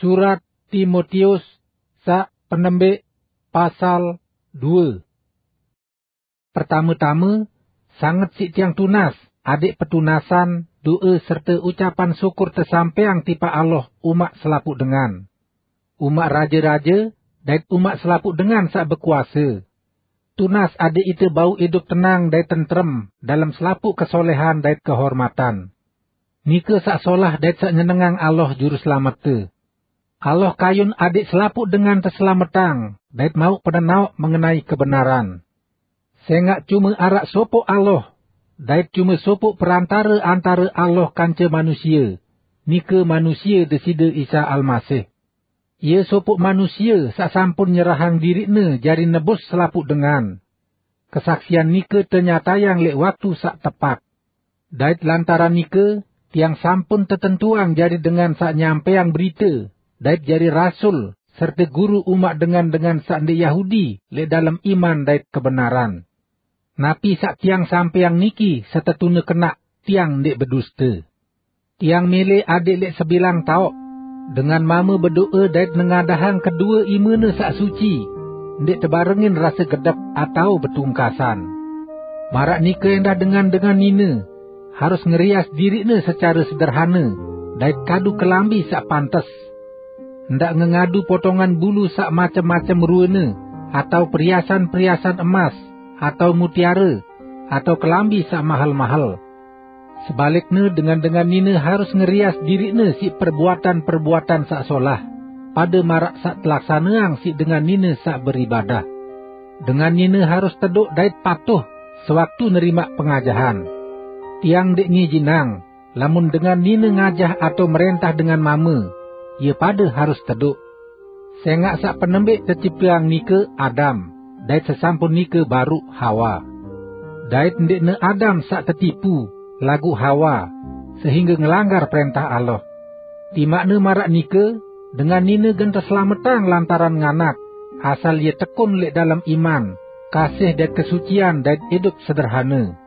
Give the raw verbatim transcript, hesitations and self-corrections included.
Surat Timotius sa' penembik, pasal due. Pertame-tame, sanget si' tiang tunas, adik petunasan, doe serte ucapan syukur tesampeang tipa Allah uma' selapu' dengan. Uma' raja-raja, dait uma' selapu' dengan sa' bekuase. Tunas adik ite bau idup tenang dait tentrem dalem selapu' kesolehan dait kehormatan. Nike sa' solah dait sa' nyenengang Allah Juru Selamette. Allah kayun adik selapu' dengan teselametang dait mau' penenao' mengenai kebenaran. Senga' cume ara' sopo' Allah, dait cume sopo' perantare antare Allah kance manusie, nike manusie Deside Isa Almasih. Ie sopo' manusie sa' sampun nyerahang diri'ne jari nebus selapu' dengan. Kesaksian nike tenyatayang le' waktu sa' tepat. Dait lantaran nike, tiang sampun tetentuang jari dengan sa' nyampeang berite, dait jari rasul, serte guru uma' dengan-dengan sa' nde' Yahudi le' dalem iman dait kebenaran. Napi sa' tiang sampeang niki setetune kena' tiang nde' beduste. Tiang mele ade' le' sebilang tao', dengan mame bedoe dait nengadahang kedue imene sa' suci, nde' tebarengin rase gedep atau betungkasan. Mara' nike endah dengan-dengan nine harus ngerias diri'ne secare sederhane, dait kadu kelambi sa' pantes. Nda' ngengadu potongan bulu sa' macem-macem ruene, atau periasan-periasan emas, atau mutiare, atau kelambi sa' mahel-mahel. Sebalikne, dengan-dengan nine harus ngerias diri'ne si' perbuatan-perbuatan sa' solah, pade mara' sa' telaksaneang si' dengan nine sa' beribadah. Dengan nine harus teddo' dait patuh sewaktu nerima' pengajahan. Tiang nde' ngijinang, lamun dengan nine ngajah atau merentah dengan mame, ie pade harus teddo'. Senga' sa' penembe' tecipteang nike Adam, dait sesampun nike baru Hawa. Dait nde' ne Adam sa' tetipu, lagu' Hawa, sehingge ngelanggar perentah Allah. Tima'ne mara' nike, dengan nine gen teselametang lantaran nganak, asal ie tekun le' dalem iman, kasih dait kesucian dait idup sederhane.